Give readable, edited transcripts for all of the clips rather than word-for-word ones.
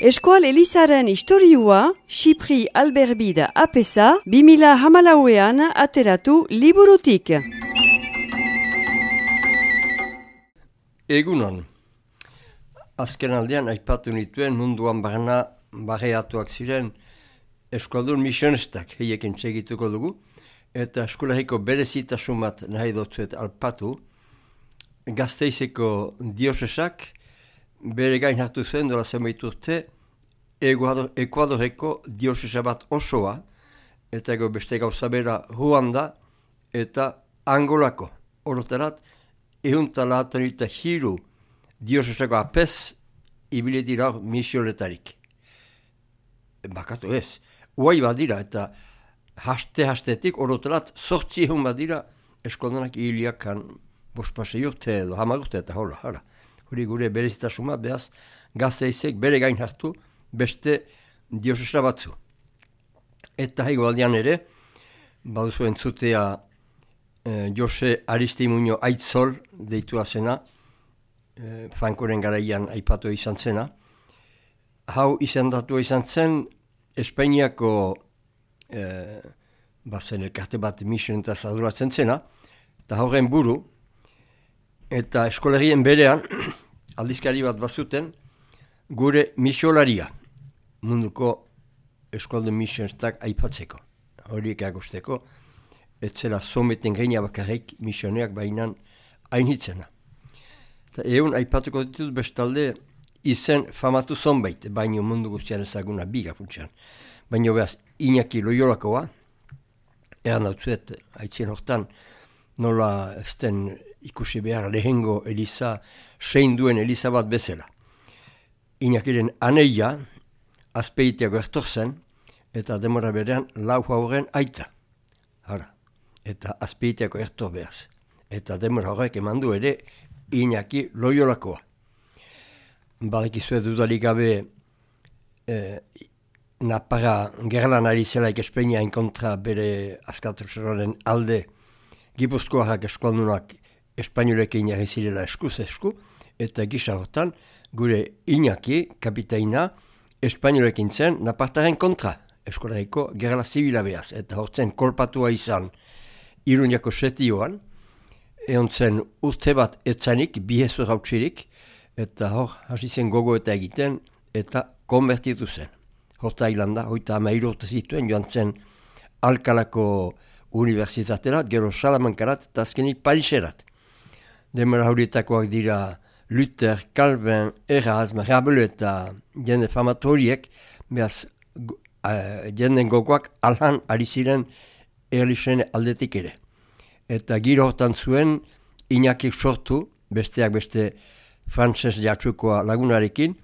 Eskual Elizaren historiua, Xipri Alberbida apesa, 2014an ateratu liburutik. Egunon, azken aldean aipatu nituen munduan barreatuak ziren eskualdun misionistak heiekin segituko dugu, eta eskualeriko berezitasun bat nahi dutzuet alpatu, Gasteizeko diosesak bere gain hartu zen dola zenbait urte Ekuadoreko diosesa bat osoa, eta ego beste gauza bera Ruanda eta Angolako. Orotarat, ehuntalaatan eta hiru diosesako apes ibile dira misionetarik. Bakatu ez, uai badira eta hastetik orotarat 800 badira eskoldanak hiliakan bospasei urte edo hamar urte eta hola. Hori gure berezitasuma, behaz Gasteizek bere gain hartu beste diosesa batzu. Eta hegoaldean ere, baduzu entzutea Jose Aristimuño Aitzol deitua zena, Frankoren garaian aipatu izan zena. Hau izendatu izan zen Espainiako bazen elkarte bat misionetaz aduratzen zena, eta horren buru, eta eskolerien berean, aldizkari bat bazuten, gure misiolaria, munduko eskualdun misionistak aipatzeko. Horiek agosteko, etzela someten geina bakarrik misioneak bainan hainitzena. Eta egun aipatuko ditut bestalde izen famatu zonbait, baino mundu guztian ezaguna biga funtsean. Baino behaz, Iñaki Loiolakoa, eran dautzuet, haitzien hortan, nola ezten ikusi behar lehengo Eliza, sein duen Eliza bat bezala. Iñakiren aneia, azpeiteago ertor zen, eta demora berean lau hauren aita. Eta azpeiteago ertor behaz. Eta demora horrek eman du ere Iñaki Loiolakoa. Badekizue dudalik gabe Naparra gerlan ari zelaik Espainiain kontra bere askatasunaren alde Gipuzkoarrak eskualdunak espainolekin jarri zirela eskuz esku, eta gisa hortan gure Iñaki, kapitaina, espainolekin zen Napartaren kontra, eskolareko gerla zibila behaz, eta hortzen kolpatua izan Iruñako setioan, egon zen urte bat etzanik, bihezur hautsirik, eta hor hasi zen gogo eta egiten, eta konbertitu zen. Horta hilanda, 33 urte zituen, joan zen Alkalako Unibertsitaterat, gero Salamankarat, eta azkenik Pariserat. Demora horietakoak dira Luther, Calvin, Erasme, Rabelais eta jende famatu horiek, behaz jenden gogoak alhan ari ziren erlixen aldetik ere. Eta giro hortan zuen, Iñakik sortu, besteak beste frantses jatsukoa lagunarekin,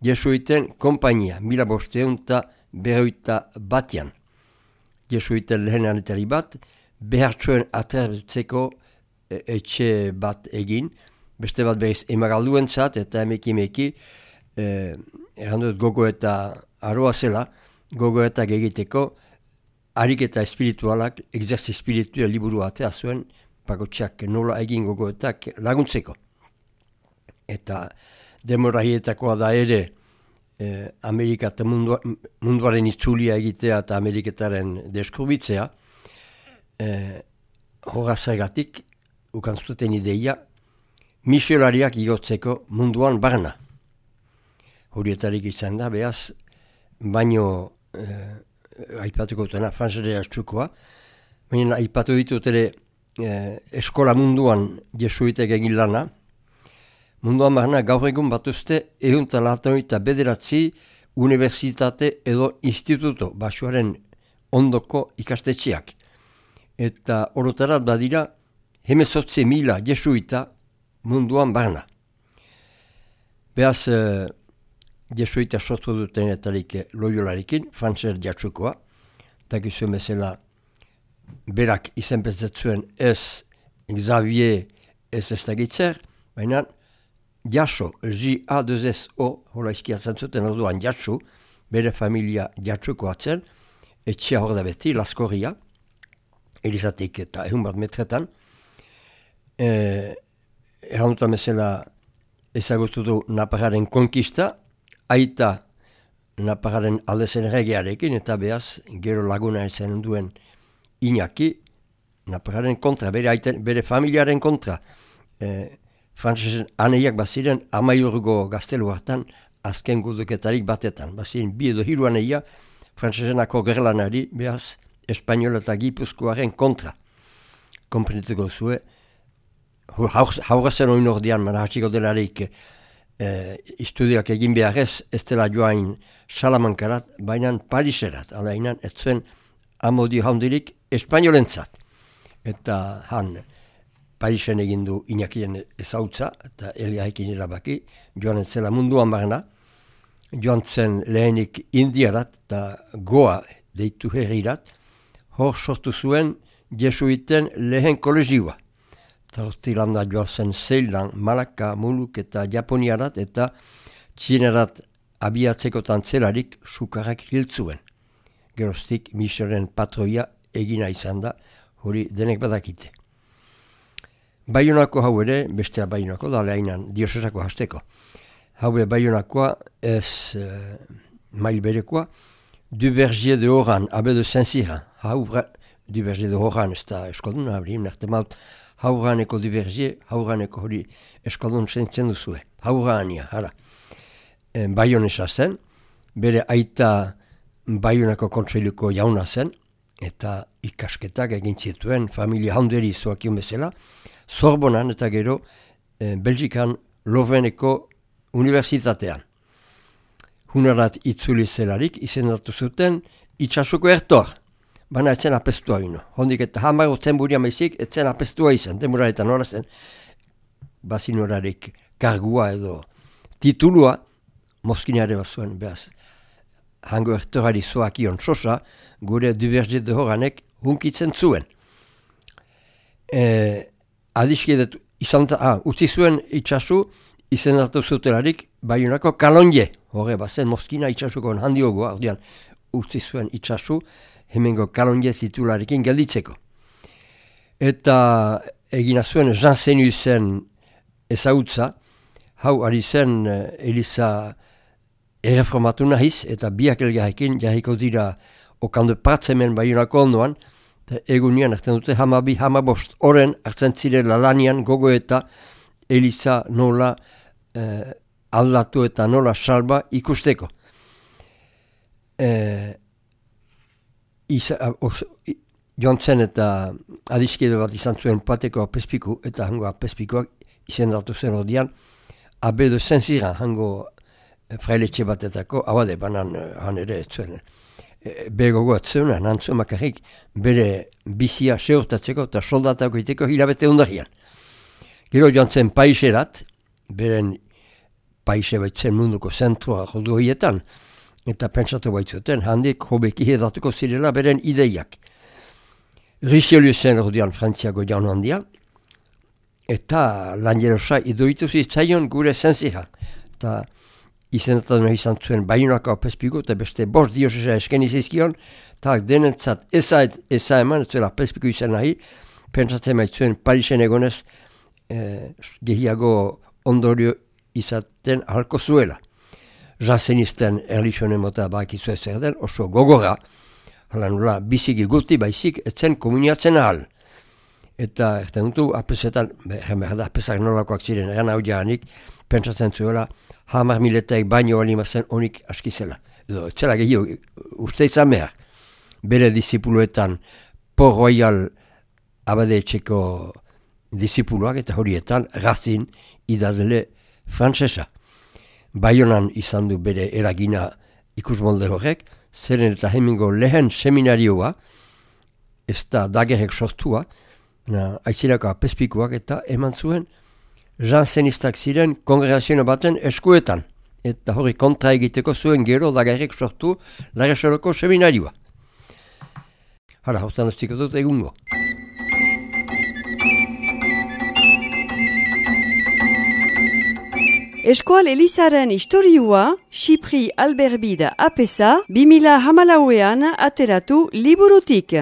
jesuiten konpainia, 1591 jesuiten lehen anetari bat, behartxoen atertzeko etxe bat egin, beste bat behiz emagalduen zat, eta emeki, errandut gogo eta aroa zela, gogoetak egiteko, ariketa espiritualak, exerzi espiritual liburu atea zuen, pakotxak nola egin gogoetak laguntzeko. Eta demora hietakoa da ere, Amerika eta munduaren itzulia egitea eta Ameriketaren deskurbitzea, horazagatik, ukantzuten ideia, misiolariak igotzeko munduan barna. Horietarik izan da, behaz, baino aipatuko dutena, frantzera txukoa, baina aipatu ditut ere eskola munduan jesuitek egin lana, munduan barna gaur egun batuzte 189 unibertsitate edo instituto basuaren ondoko ikastetxeak. Eta orotarat badira 18.000 jesuita munduan barna. Behaz, jesuita sortu duten etarik Loiolarekin, frantzer jatsukoa, eta gizuen bezala berak izenpezatzuen ez Xavier ez dagitzer, baina Jaso, J-A-2-S-O, hola izkiatzen zuten orduan Jasu, bere familia Jatsuko atzen, etxea hor da beti, Laskorria, Elizatik eta 100 metretan, erranduta mesela ezagutu du Naparraren konkista, aita Naparraren alde zen regearekin, eta behaz, gero laguna ezen duen Iñaki, Naparraren kontra, bere familiaren kontra. Frantsesen aneiak baziren 10 gaztelu hartan, azken guduketarik batetan. Baziren 2 edo 3 aneia, frantsesenako gerlanari, behaz, Espainola eta Gipuzkoaren kontra. Konprenituko zue, haurazen oin ordean, mana hatxiko delarik, istudioak egin beharrez, ez dela joain Salamankarat, baina Pariserat, alainan, ez zuen amodio handirik Espainolentzat. Eta han, Parisen egin du Iñakien ezautza, eta Eliaekin erabaki, joan zela munduan barna, joan zen lehenik Indiarat eta Goa deitu herrirat, hor sortu zuen jesuiten lehen kolegioa. Eta hortilanda joan zen Zeilan, Malaka, Muluk eta Japoniarat eta Txinerat abiatzekotan zelarik sukarrak hiltzuen. Geroztik misionen patroia egina izan da, hori denek badakite. Baionako hau ere, bestea Baionako da lehinan diosesako hasteko. Haue Baionakoa ez mail berekoa, Duvergier de Oran, abe de Saint-Cyrin. Duvergier de Oran ez da eskoldun, nerte maut, hauraneko Duvergier, hauraneko hori eskoldun zentzen duzue. Haurania, hala. Baionesa zen, bere aita Baionako kontseiluko jauna zen, eta ikasketak egin zituen familia handeri zoakion bezala, Sorbonan eta gero Belgikan Loveneko Unibertsitatean. Hunarat itzuli zelarik izendatu zuten itxasuko ertor, baina etzen apestua gino. Hondik eta hamago tenburia maizik etzen apestua izan, tenbura eta nora zen, bazinorarik kargua edo titulua, Moskinare bat zuen, behaz. Hango ertorari zoakion sosa, gure Duvergier de Oranek hunkitzen zuen. Adiskidet utzi zuen itxasu izendatu zutelarik Baionako Kalonje. Horre bazen Moskina itxasuko handiogoa, ordean utzi zuen itxasu hemengo Kalonje titularekin gelditzeko. Eta egina zuen Jean Senusen ezagutza, hau ari zen Eliza erreformatu nahiz, eta biak elgarrekin jarriko dira okando pratzemen Baionako ondoan, egunean hartzen dute 12-15 oren hartzen zirela lanian gogo eta Eliza nola aldatu eta nola salba ikusteko. Joan zen eta adiskide bat izan zuen pateko apezpiku, eta hango apezpikoak izendatu zen ordean abe de Saint-Cyrin, hango frailetxe batetako, abade, banan han ere ez zuen. Begogo atzuen, nantzuen makarrik, bere bizia seurtatzeko eta soldatako iteko hilabete ondarian. Gero joan zen Paiserat, beren Paise baitzen munduko zentrua jodu horietan, eta pentsatu baitzuten, handik hobeki hedatuko zirela beren ideiak. Richelieu zen ordean Frantziako jaun handia, eta lanjerosa idoitu zitzaion gure Saint-Cyrin. Eta izendatu izan zuen Baionako apezpiko, eta beste 5 diosesa eskeni zizkion, eta denentzat eza eman, ez zuela apezpiko izan nahi, pentsatzen maitzuen Parisen egonez gehiago ondorio izaten ahalko zuela. Jansenisten erlixonen mota bakizu zer den, oso gogora, hala nula biziki guti baizik etzen komuniatzen ahal. Eta erten dutu, apesetan, apezak nolakoak ziren, eran hau jaanik, pentsatzen zuela, 10.000 baino alimazen honik askizela. Edo, etzela gehiago, uste izan behar. Bere disipuloetan, Port Royal abade etxeko disipuloak eta horietan, Racine idazle frantsesa. Baionan izan du bere eragina ikusmolde horrek, zeren eta hemengo lehen seminarioa, ez da dagerrek sortua, aizirako apezpikuak eta eman zuen, jansenistak ziren kongregazio baten eskuetan, eta hori kontra egiteko zuen gero dagerrek sortu Laresoroko seminarioa. Hala, hortan ustiko dut egungo. Eskoal Elizaren istorioa, Xipri Alberbide apesa, 2014an ateratu liburutik.